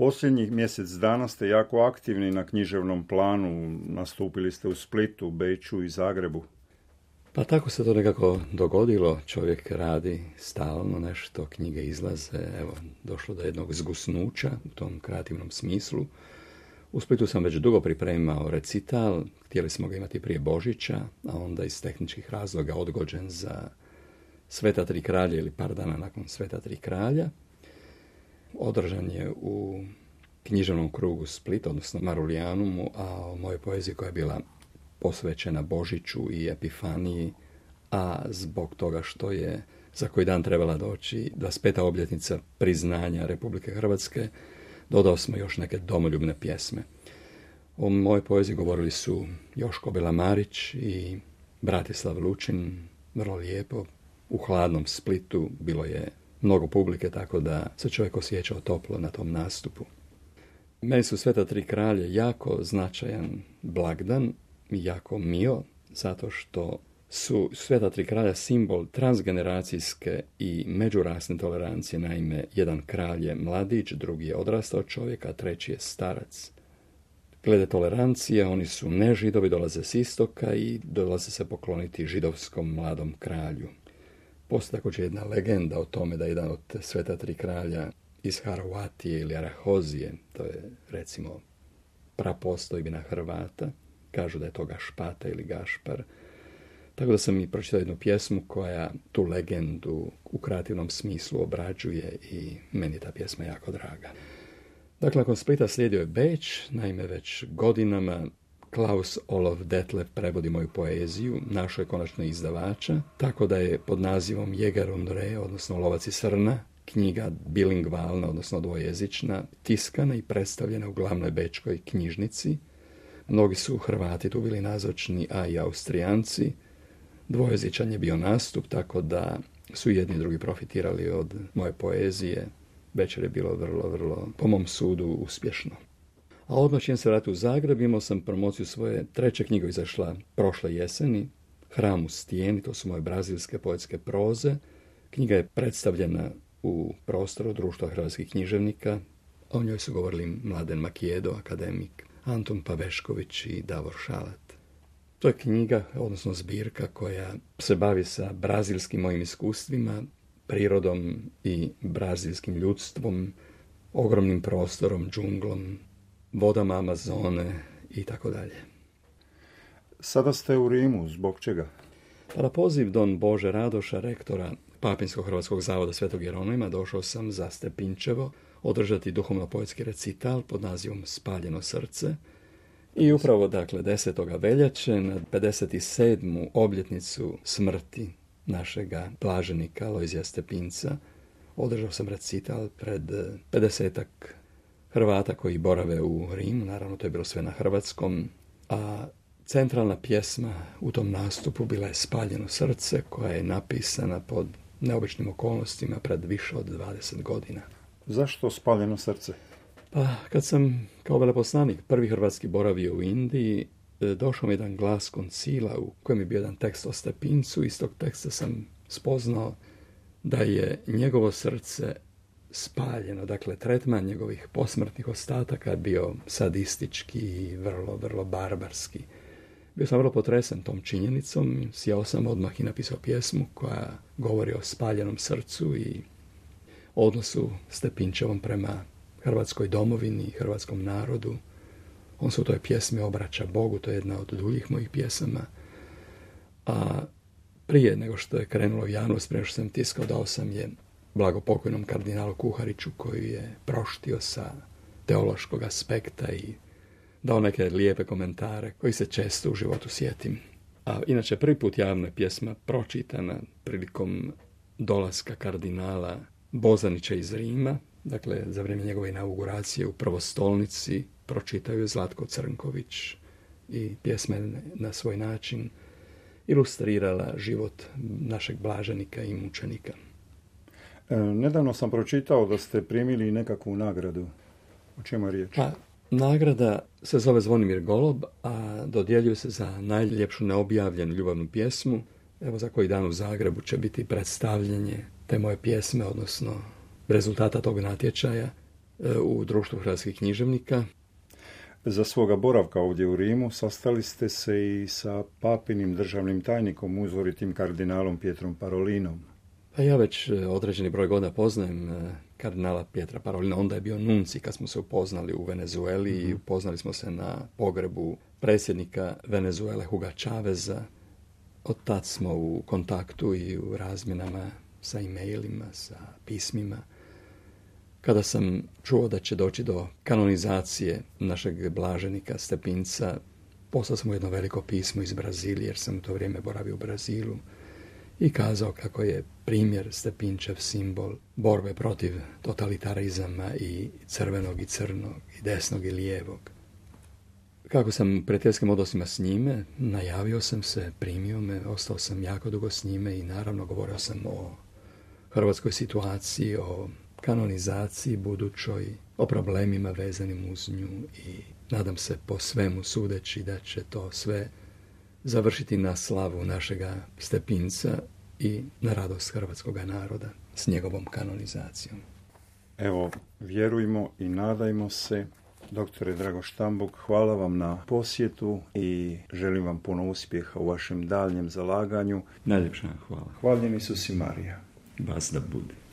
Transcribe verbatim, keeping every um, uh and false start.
Posljednjih mjesec dana ste jako aktivni na književnom planu, nastupili ste u Splitu, Beču i Zagrebu. Pa tako se to nekako dogodilo, čovjek radi stalno nešto, knjige izlaze, evo, došlo do jednog zgusnuća u tom kreativnom smislu. U Splitu sam već dugo pripremao recital, htjeli smo ga imati prije Božića, a onda iz tehničkih razloga odgođen za Sveta tri kralja ili par dana nakon Sveta tri kralja. Održan je u književnom krugu Splita, odnosno Marulijanumu, a o mojoj poeziji koja je bila posvećena Božiću i Epifaniji, a zbog toga što je za koji dan trebala doći dvadeset peta obljetnica priznanja Republike Hrvatske, dodao smo još neke domoljubne pjesme. O mojoj poeziji govorili su Joško Belamarić i Bratislav Lučin, vrlo lijepo. U hladnom Splitu bilo je mnogo publike, tako da se čovjek osjećao toplo na tom nastupu. Meni su Sveta tri kralje jako značajan blagdan, jako mio, zato što su Sveta tri kralja simbol transgeneracijske i međurasne tolerancije. Naime, jedan kralj je mladić, drugi je odrastao čovjek, a treći je starac. Glede tolerancije, oni su ne židovi, dolaze s istoka i dolaze se pokloniti židovskom mladom kralju. Postoji također jedna legenda o tome da jedan od Sveta tri kralja iz Harovatije ili Arahozije, to je recimo prapostojbina Hrvata, kažu da je to Gašpata ili Gašpar. Tako da sam i pročitao jednu pjesmu koja tu legendu u kreativnom smislu obrađuje i meni je ta pjesma jako draga. Dakle, nakon Splita slijedio je Beč, naime već godinama Klaus Olof Detlef prevodi moju poeziju, našao je konačno izdavača, tako da je pod nazivom Jäger und Reh, odnosno Lovac i srna, knjiga bilingvalna, odnosno dvojezična, tiskana i predstavljena u glavnoj bečkoj knjižnici. Mnogi su Hrvati tu bili nazočni, a i Austrijanci. Dvojezičan je bio nastup, tako da su jedni i drugi profitirali od moje poezije. Večer je bilo vrlo, vrlo, po mom sudu, uspješno. A odmah čim se vratio u Zagreb, imao sam promociju svoje treće knjige, izašla prošle jeseni, Hram u stijeni, to su moje brazilske poetske proze. Knjiga je predstavljena u prostoru Društva hrvatskih književnika. O njoj su govorili Mladen Makijedo, akademik, Antun Pavešković i Davor Šalat. To je knjiga, odnosno zbirka, koja se bavi sa brazilskim mojim iskustvima, prirodom i brazilskim ljudstvom, ogromnim prostorom, džunglom, vodama Amazone i tako dalje. Sada ste u Rimu, zbog čega? Pa na poziv don Bože Radoša, rektora Papinskog hrvatskog zavoda Svetog Jeronima, došao sam za Stepinčevo održati duhovno-poetski recital pod nazivom Spaljeno srce. I upravo, dakle, desetog veljače na pedeset sedmu obljetnicu smrti našega blaženika Lojzija Stepinca održao sam recital pred pedesetak Hrvata koji borave u Rimu, naravno to je bilo sve na hrvatskom, a centralna pjesma u tom nastupu bila je Spaljeno srce, koja je napisana pod neobičnim okolnostima pred više od dvadeset godina. Zašto Spaljeno srce? Pa, kad sam kao veleposlanik prvi hrvatski boravio u Indiji, došao mi jedan glas koncila u kojem je bio jedan tekst o Stepincu. Iz tog teksta sam spoznao da je njegovo srce spaljeno, dakle tretman njegovih posmrtnih ostataka bio sadistički i vrlo, vrlo barbarski. Bio sam vrlo potresen tom činjenicom, sjeo sam odmah i napisao pjesmu koja govori o spaljenom srcu i odnosu Stepinčevom prema Hrvatskoj domovini i hrvatskom narodu. On se u toj pjesmi obraća Bogu, to je jedna od duljih mojih pjesama. A prije nego što je krenulo u javnost, prije što sam tiskao, dao sam je blagopokojnom kardinalu Kuhariću, koji je proštio sa teološkog aspekta i dao neke lijepe komentare koji se često u životu sjetim. A inače, prvi put javna je pjesma pročitana prilikom dolaska kardinala Bozanića iz Rima, dakle za vrijeme njegove inauguracije u prvostolnici pročitao je Zlatko Crnković i pjesma je na svoj način ilustrirala život našeg blaženika i mučenika. E, nedavno sam pročitao da ste primili nekakvu nagradu. O čemu je riječ? Pa, nagrada se zove Zvonimir Golob, a dodjeljuje se za najljepšu neobjavljenu ljubavnu pjesmu. Evo, za koji dan u Zagrebu će biti predstavljanje te moje pjesme, odnosno rezultata tog natječaja. u Društvu hrvatskih književnika. Za svoga boravka ovdje u Rimu sastali ste se i sa papinim državnim tajnikom, uzoritim kardinalom Pietrom Parolinom. Pa ja već određeni broj godina poznajem kardinala Pietra Parolina. Onda je bio nunci kad smo se upoznali u Venezueli mm-hmm. i upoznali smo se na pogrebu predsjednika Venezuele Huga Chaveza. Od tad smo u kontaktu i u razmjenama sa e-mailima, sa pismima. Kada sam čuo da će doći do kanonizacije našeg blaženika Stepinca, poslao sam mu jedno veliko pismo iz Brazilije, jer sam u to vrijeme boravio u Brazilu, i kazao kako je primjer Stepinčev simbol borbe protiv totalitarizama i crvenog i crnog, i desnog i lijevog. Kako sam u prijateljskim odnosima s njime, najavio sam se, primio me, ostao sam jako dugo s njime i naravno govorio sam o hrvatskoj situaciji, o kanonizaciji budućoj, o problemima vezanim uz nju i nadam se po svemu sudeći da će to sve završiti na slavu našega Stepinca i na radost hrvatskoga naroda s njegovom kanonizacijom. Evo, vjerujmo i nadajmo se. Doktore Drago Štambuk, hvala vam na posjetu i želim vam puno uspjeha u vašem daljnjem zalaganju. Najljepša hvala. Hvaljen Isus i Marija. Vas da bude.